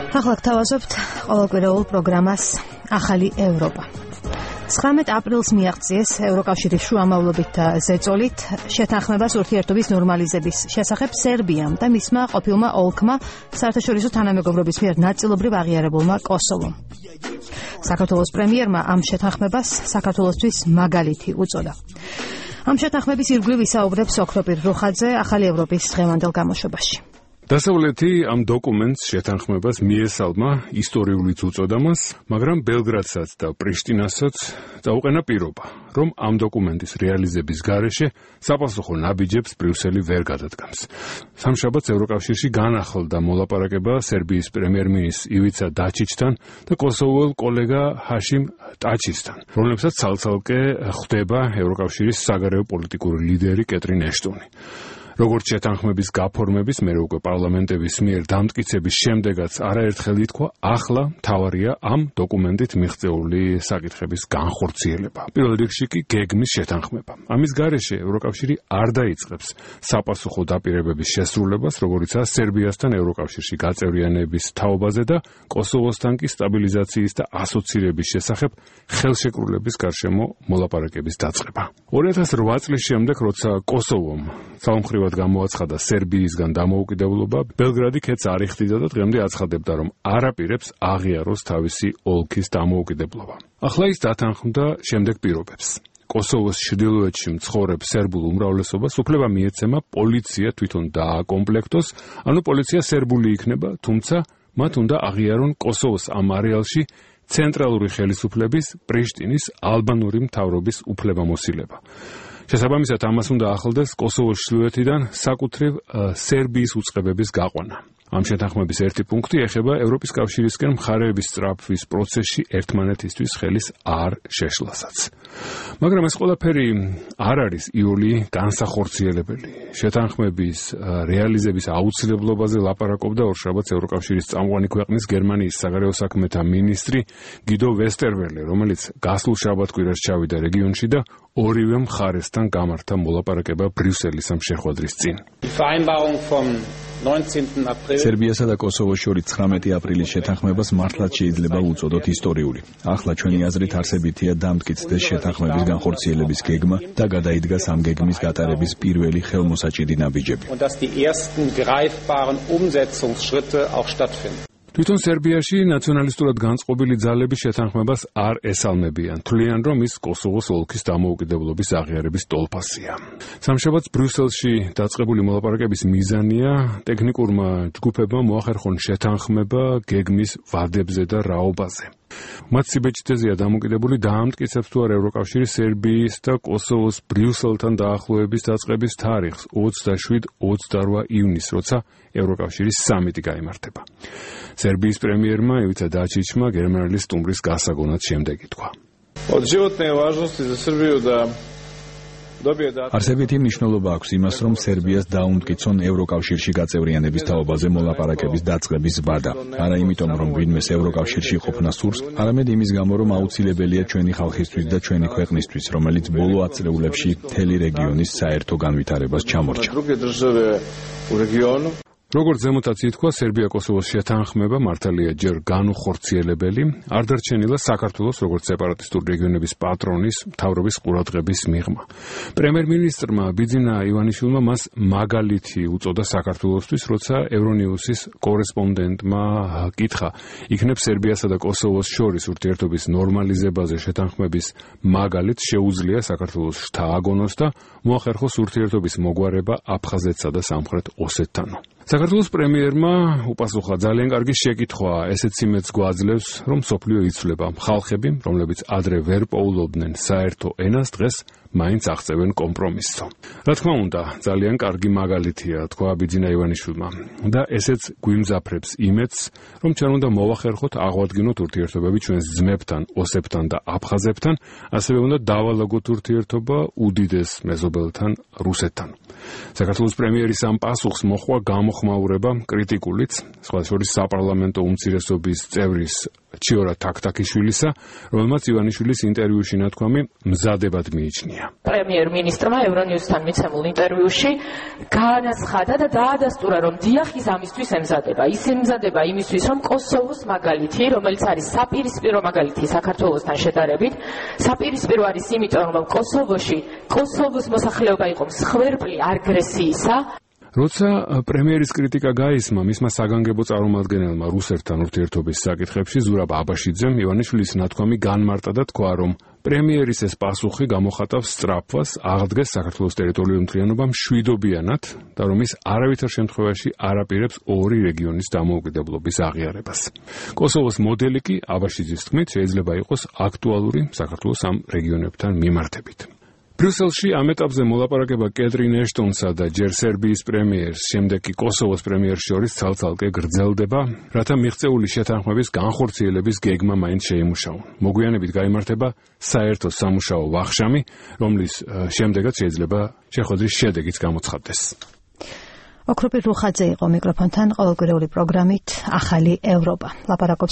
ახლა გთავაზობთ ყოველკვირეულ პროგრამას ახალი ევროპა. 19 აპრილს მიაღწიეს ევროკავშირის შუამავლობით და ზეწოლით შეთანხმებას ურთიერთობის ნორმალიზების შესახებ სერბიამ და მისმა ყოფილმა ოლქმა საერთაშორისო თანამეგობრობის მიერ ნაწილობრივ აღიარებულმა კოსოვომ. საქართველოს პრემიერმა ამ შეთანხმებას საქართველოსთვის მაგალითი უწოდა. ამ შეთანხმების ირგვლივ ისაუბრებს ოქროპირ რუხაძე ახალი ევროპის დღევანდელ გამოშვებაში. დასავლეთი ამ დოკუმენტს შეთანხმებას მიესალმა ისტორიულიც უწოდამას, მაგრამ ბელგრადსაც და პრიშტინასაც წაუყენა პირობა, რომ ამ დოკუმენტის რეალიზების გარეშე საპასუხო ნაბიჯებს ბრიუსელი ვერ გადადგამს. სამშაბათს ევროკავშირში განახლდა მოლაპარაკება სერბიის პრემიერ-მინისტრ ივიცა დაჩიჩთან და კოსოვოელ კოლეგა ჰაშიმ ტაჩისთან, რომლებსაც ცალ-ცალკე ხვდება ევროკავშირის საგარეო პოლიტიკური ლიდერი კეტრინ ეშტონი. როგორც შეთანხმების გაფორმების, მერე უკვე პარლამენტების მიერ დამტკიცების შემდეგაც არაერთხელ ითქვა, ახლა მთავარია ამ დოკუმენტით მიღწეული საკითხების განხორციელება. პირველ რიგში კი გეგმის შეთანხმება. ამის გარეშე ევროკავშირი არ დაიწყებს საპასუხო დაპირებების შესრულებას, როგორიცაა სერბიასთან ევროკავშირში გაწევრიანების თაობაზე და კოსოვოსთან კი სტაბილიზაციის და ასოცირების შესახებ ხელშეკრულების გარშემო მოლაპარაკების დაწყება. 2008 წლის შემდეგ, როცა კოსოვომ ძალამხრივად გამოაცხადა სერბიისგან დამოუკიდებლობა, ბელგრადი ქეთს არ იხდიდა და დღემდე აცხადებდა, რომ არ აპირებს აღიაროს თავისი ოლქის დამოუკიდებლობა. ახლა ის დათანხმდა შემდეგ პირობებს. კოსოვოს ჩრდილოეთში მცხოვრებ სერბულ უმრავლესობას უფლება მიეცემა პოლიცია თვითონ დააკომპლექტოს, ანუ პოლიცია სერბული იქნება, თუმცა მათ უნდა აღიარონ კოსოვოს ამ არეალში ცენტრალური ხელისუფლების პრიშტინის ალბანური მთავრობის უფლებამოსილება. შესაბამისად, ამას უნდა ახლდეს კოსოვოს ჩრდილოეთიდან საკუთრივ სერბიის უწყებების გაყვანა. ამ შეთანხმების ერთი პუნქტი ეხება ევროპის კავშირისკენ მხარეების სწრაფვის პროცესში ერთმანეთისთვის ხელის არ შეშლასაც. მაგრამ ეს ყველაფერი არ არის იული განსახორციელებელი. შეთანხმების რეალიზების აუცილებლობაზე ლაპარაკობდა ორშაბათს ევროკავშირის წამყვანი ქვეყნის გერმანიის საგარეო საქმეთა მინისტრი გიდო ვესტერველე, რომელიც გასულ შაბათ-კვირას ჩავიდა რეგიონში და ორივე მხარესთან გამართა მოლაპარაკება ბრიუსელის ამ შეხვედრის წინ. სერბიასა და კოსოვოს შორის 19 აპრილის შეთანხმებას მართლაც შეიძლება უწოდოთ ისტორიული. ახლა ჩვენი აზრით არსებითია დამტკიცდეს შეთანხმების განხორციელების გეგმა და გადაიდგას ამ გეგმის გატარების პირველი ხელმოსაჭიდი ნაბიჯები. თვითონ სერბიაში ნაციონალისტურად განწყობილი ძალები შეთანხმებას არ ესალმებიან. თვლიან, რომ ის კოსოვოს ოლქის დამოუკიდებლობის აღიარების ტოლფასია. სამშაბათს ბრიუსელში დაწყებული მოლაპარაკების მიზანია ტექნიკურმა ჯგუფებმა მოახერხონ შეთანხმება გეგმის ვადებზე და რაობაზე. მათ სიბეჭდეზეა დამოკიდებული დაამტკიცებს თუ არა ევროკავშირი სერბიის და კოსოვოს ბრიუსელთან დაახლოების დაწყების თარიღს 27-28 ივნისს, როცა ევროკავშირის სამიტი გაიმართება. სერბიის პრემიერმა ივიცა დაჩიჩმა გერმანელი სტუმრის გასაგონად შემდეგ ითქვა. არსებითი მნიშვნელობა აქვს იმას, რომ სერბიას დაუმტკიცონ ევროკავშირში გაწევრიანების თაობაზე მოლაპარაკების დაწყების ვადა. არა იმიტომ, რომ ვინმეს ევროკავშირში ყოფნა სურს, არამედ იმის გამო, რომ აუცილებელია ჩვენი ხალხისთვის და ჩვენი ქვეყნისთვის, რომელიც ბოლო ათწლეულებში მთელი რეგიონის საერთო განვითარებას ჩამორჩა. როგორც ზემოთაც ითქვა, სერბია-კოსოვოს შეთანხმება მართალია ჯერ განუხორციელებელი, არ დარჩენილა საქართველოს როგორც სეპარატისტური რეგიონების პატრონის მთავრობის ყურადღების მიღმა. პრემიერ-მინისტრმა ბიძინა ივანიშვილმა მას მაგალითი უწოდა საქართველოსთვის, როცა ევრონიუსის კორესპონდენტმა კითხა, იქნებ სერბიასა და კოსოვოს შორის ურთიერთობის ნორმალიზებაზე შეთანხმების მაგალითს შეუძლია საქართველოს შთააგონოს და მოახერხოს ურთიერთობის მოგვარება აფხაზეთსა და სამხრეთ ოსეთთანო. საქართველოს პრემიერმა უპასუხა ძალიან კარგი შეკითხვა, ესეც იმედს გვაძლევს, რომ მსოფლიო იცვლება. ხალხები, რომლებიც ადრე ვერ პოულობდნენ საერთო ენას, დღეს მაინც აღწევენ კომპრომისს. რა თქმა უნდა, ძალიან კარგი მაგალითია, თქვა ბიძინა ივანიშვილმა. და ესეც გვიმძაფრებს იმედს, რომ ჩვენ უნდა მოვახერხოთ, აღვადგინოთ ურთიერთობები ჩვენს ძმებთან, ოსებთან და აფხაზებთან, ასევე უნდა დავალაგოთ ურთიერთობა უდიდეს მეზობელთან, რუსეთთან. საქართველოს პრემიერის ამ პასუხს მოჰყვა გამოხმაურება კრიტიკულიც, სხვა შორის საპარლამენტო უმცირესობის წევრის ჩიორა თაქთაქიშვილისა, რომელმაც ივანიშვილის ინტერვიუში ნათქვამი მზადებად მიიჩნია. პრემიერ-მინისტრმა ევრონიუსთან მიცემულ ინტერვიუში განაცხადა და დაადასტურა, რომ დიახ ის ამისთვის ემზადება. ის ემზადება იმისთვის, რომ კოსოვოს მაგალითი, რომელიც არის საპირისპირო მაგალითი საქართველოსთან შედარებით, საპირისპირო არის იმიტომ, რომ კოსოვოს მოსახლეობა იყო მსხვერპლი აგრესიისა. როცა პრემიერის კრიტიკა გაისმა მისმა საგანგებო წარმომადგენელმა რუსეთთან ურთიერთობის საკითხებში ზურაბ აბაშიძემ ივანიშვილის ნათქვამი განმარტა და თქვა, რომ პრემიერის ეს პასუხი გამოხატავს სწრაფვას აღდგეს საქართველოს ტერიტორიული მთლიანობა მშვიდობიანად და რომ ის არავითარ შემთხვევაში არ აპირებს ორი რეგიონის დამოუკიდებლობის აღიარებას. კოსოვოს მოდელი კი აბაშიძის თქმით შეიძლება იყოს აქტუალური საქართველოს ამ რეგიონებთან მიმართებით. ბრიუსელში ამ ეტაპზე მოლაპარაკება კეტრინ ეშტონსა და ჯერ სერბიის პრემიერს, შემდეგ კი კოსოვოს პრემიერს შორის ცალ-ცალკე გრძელდება, რათა მიღწეული შეთანხმების განხორციელების გეგმა მაინც შეიმუშაონ. მოგვიანებით გაიმართება საერთო სამუშაო ვახშამი, რომლის შემდეგაც შეიძლება შეხვედრის შედეგიც გამოცხადდეს. ოქროპირ რუხაძე იყო მიკროფონთან ყოველკვირეული პროგრამით ახალი ევროპა. ლაპარაკობს